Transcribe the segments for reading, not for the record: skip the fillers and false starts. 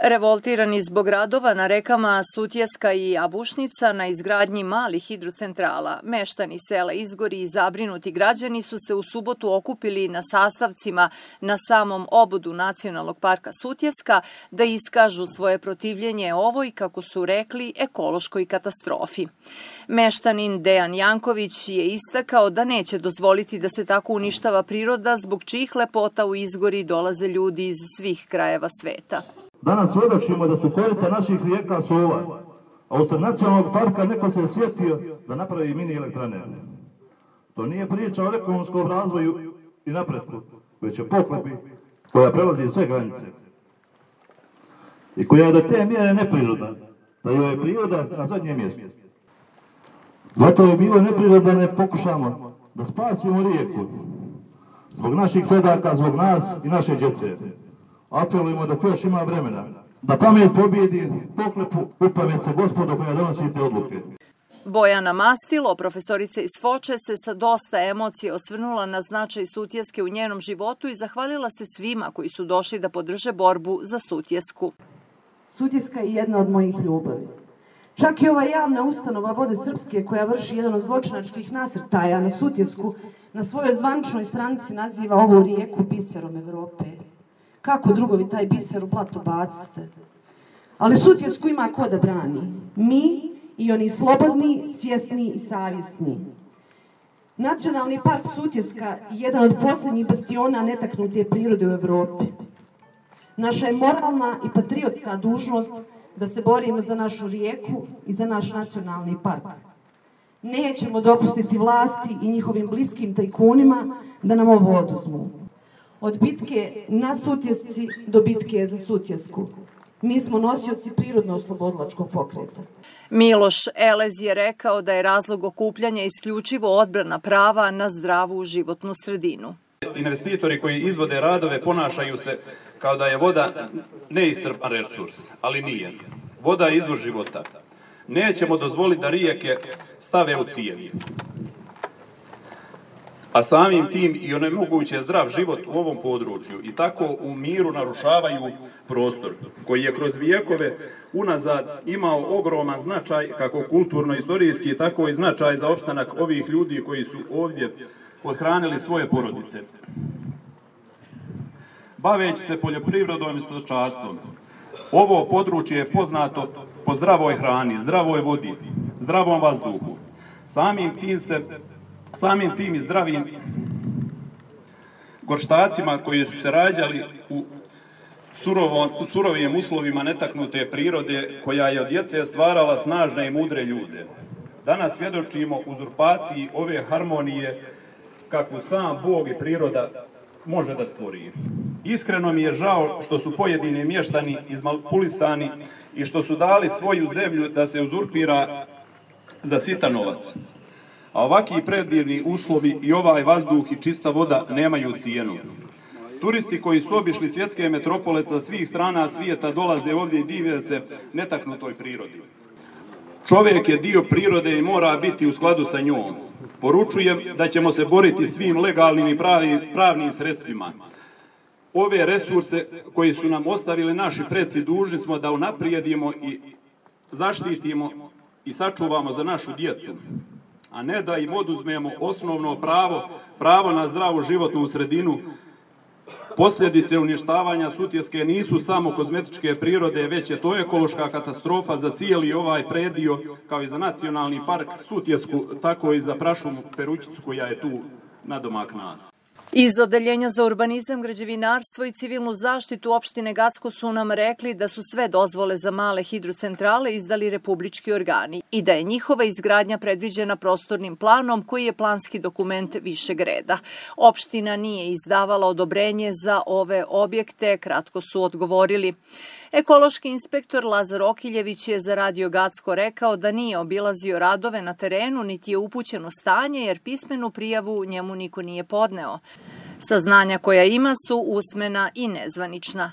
Revoltirani zbog radova na rekama Sutjeska i Abušnica na izgradnji malih hidrocentrala, meštani sela Izgori i zabrinuti građani su se u subotu okupili na sastavcima na samom obodu Nacionalnog parka Sutjeska da iskažu svoje protivljenje ovoj, kako su rekli, ekološkoj katastrofi. Meštanin Dejan Janković je istakao da neće dozvoliti da se tako uništava priroda, zbog čijih lepota u Izgori dolaze ljudi iz svih krajeva sveta. Danas svjedočimo da su korita naših rijeka sula, a usred nacionalnog parka neko se je sjetio da napravi mini elektrane. To nije priča o ekonomskom razvoju i napretku, već o pohlepi koja prelazi sve granice i koja je do te mjere neprirodna, da joj je priroda na zadnjem mjestu. Zato je bilo neprirodno da ne pokušamo da spasimo rijeku zbog naših predaka, zbog nas i naše djece. Apelujemo da još ima vremena, da pamet pobjedi pohlepu, upamet se gospodo koja donosite odluke. Bojana Mastilo, profesorica iz Foče, se sa dosta emocije osvrnula na značaj Sutjeske u njenom životu i zahvalila se svima koji su došli da podrže borbu za Sutjesku. Sutjeska je jedna od mojih ljubavi. Čak i ova javna ustanova Vode Srpske, koja vrši jedan od zločinačkih nasrtaja na Sutjesku, na svojoj zvaničnoj stranici naziva ovu rijeku biserom Evrope. Kako drugovi taj biser u blato baciste? Ali Sutjesku ima ko da brani. Mi i oni slobodni, svjesni i savjesni. Nacionalni park Sutjeska je jedan od posljednjih bastiona netaknute prirode u Evropi. Naša je moralna i patriotska dužnost da se borimo za našu rijeku i za naš nacionalni park. Nećemo dopustiti vlasti i njihovim bliskim tajkunima da nam ovo oduzmu. Od bitke na Sutjesci do bitke za Sutjesku. Mi smo nosioci prirodno-oslobodilačkog pokreta. Miloš Elez je rekao da je razlog okupljanja isključivo odbrana prava na zdravu životnu sredinu. Investitori koji izvode radove ponašaju se kao da je voda neiscrpan resurs, ali nije. Voda je izvor života. Nećemo dozvoliti da rijeke stave u cijevi, a samim tim i onemoguće zdrav život u ovom području i tako u miru narušavaju prostor koji je kroz vijekove unazad imao ogroman značaj kako kulturno-istorijski, tako i značaj za opstanak ovih ljudi koji su ovdje othranili svoje porodice. Baveći se poljoprivredom i stočarstvom, ovo područje je poznato po zdravoj hrani, zdravoj vodi, zdravom vazduhu. Samim tim i zdravim gorštacima koji su se rađali u surovim uslovima netaknute prirode koja je od djece stvarala snažne i mudre ljude. Danas svjedočimo uzurpaciji ove harmonije kakvu sam Bog i priroda može da stvori. Iskreno mi je žao što su pojedini mještani izmanipulisani i što su dali svoju zemlju da se uzurpira za sitan novac. A ovakvi predivni uslovi i ovaj vazduh i čista voda nemaju cijenu. Turisti koji su obišli svjetske metropole sa svih strana svijeta dolaze ovdje i dive se netaknutoj prirodi. Čovjek je dio prirode i mora biti u skladu sa njom. Poručujem da ćemo se boriti svim legalnim i pravnim sredstvima. Ove resurse koji su nam ostavili naši preci dužni smo da unaprijedimo i zaštitimo i sačuvamo za našu djecu, a ne da im oduzmemo osnovno pravo na zdravu životnu sredinu. Posljedice uništavanja Sutjeske nisu samo kozmetičke prirode, već je to ekološka katastrofa za cijeli ovaj predio, kao i za nacionalni park Sutjesku, tako i za prašumu Perućicu koja je tu nadomak nas. Iz Odeljenja za urbanizam, građevinarstvo i civilnu zaštitu opštine Gacko su nam rekli da su sve dozvole za male hidrocentrale izdali republički organi i da je njihova izgradnja predviđena prostornim planom koji je planski dokument višeg reda. Opština nije izdavala odobrenje za ove objekte, kratko su odgovorili. Ekološki inspektor Lazar Okiljević je za Radio Gacko rekao da nije obilazio radove na terenu niti je upućeno stanje jer pismenu prijavu njemu niko nije podneo. Saznanja koja ima su usmena i nezvanična.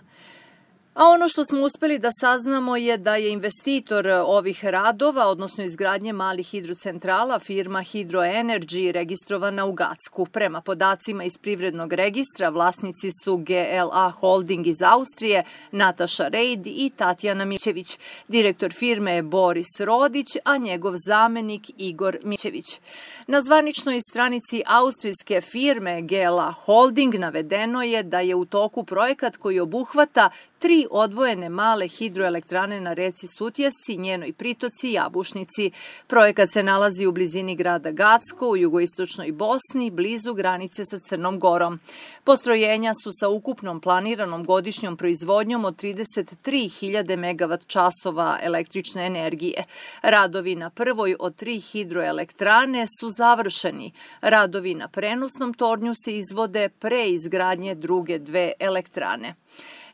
A ono što smo uspeli da saznamo je da je investitor ovih radova, odnosno izgradnje malih hidrocentrala, firma Hydroenergy, registrovana u Gacku. Prema podacima iz privrednog registra, vlasnici su GLA Holding iz Austrije, Nataša Rejd i Tatjana Mićević. Direktor firme je Boris Rodić, a njegov zamenik Igor Mićević. Na zvaničnoj stranici austrijske firme GLA Holding navedeno je da je u toku projekat koji obuhvata 3 odvojene male hidroelektrane na reci Sutjesci, njenoj pritoci i Jabušnici. Projekat se nalazi u blizini grada Gacko u jugoistočnoj Bosni, blizu granice sa Crnom Gorom. Postrojenja su sa ukupnom planiranom godišnjom proizvodnjom od 33.000 MWh električne energije. Radovi na prvoj od 3 hidroelektrane su završeni. Radovi na prenosnom tornju se izvode pre izgradnje druge 2 elektrane.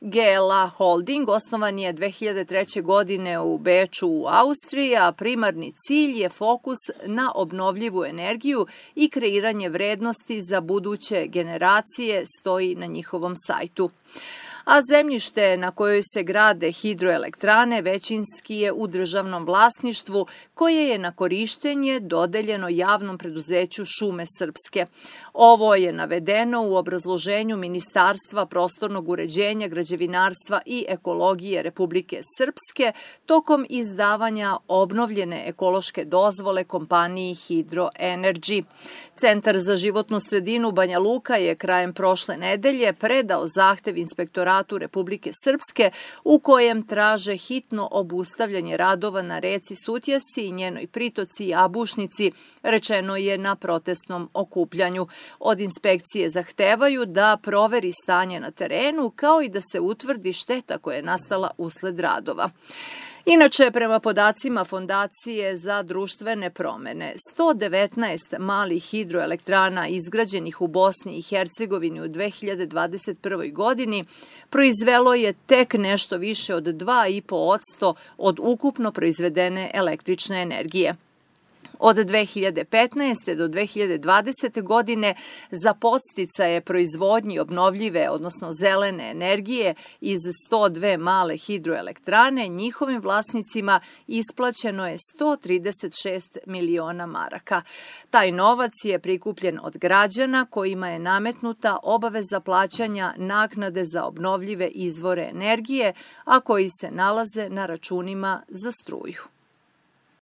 GLA Holding osnovan je 2003. godine u Beču u Austriji, a primarni cilj je fokus na obnovljivu energiju i kreiranje vrednosti za buduće generacije, stoji na njihovom sajtu. A zemljište na kojoj se grade hidroelektrane većinski je u državnom vlasništvu, koje je na korištenje dodeljeno javnom preduzeću Šume Srpske. Ovo je navedeno u obrazloženju Ministarstva prostornog uređenja, građevinarstva i ekologije Republike Srpske tokom izdavanja obnovljene ekološke dozvole kompaniji Hydroenergy. Centar za životnu sredinu Banja Luka je krajem prošle nedelje predao zahtev inspektoratu Republike Srpske u kojem traže hitno obustavljanje radova na reci Sutjesci i njenoj pritoci Jabušnici, rečeno je na protestnom okupljanju. Od inspekcije zahtevaju da proveri stanje na terenu kao i da se utvrdi šteta koja je nastala usled radova. Inače, prema podacima Fondacije za društvene promene, 119 malih hidroelektrana izgrađenih u Bosni i Hercegovini u 2021. godini proizvelo je tek nešto više od 2,5% od ukupno proizvedene električne energije. Od 2015. do 2020. godine za podsticaje proizvodnji obnovljive, odnosno zelene energije iz 102 male hidroelektrane, njihovim vlasnicima isplaćeno je 136 miliona maraka. Taj novac je prikupljen od građana kojima je nametnuta obaveza plaćanja naknade za obnovljive izvore energije, a koji se nalaze na računima za struju.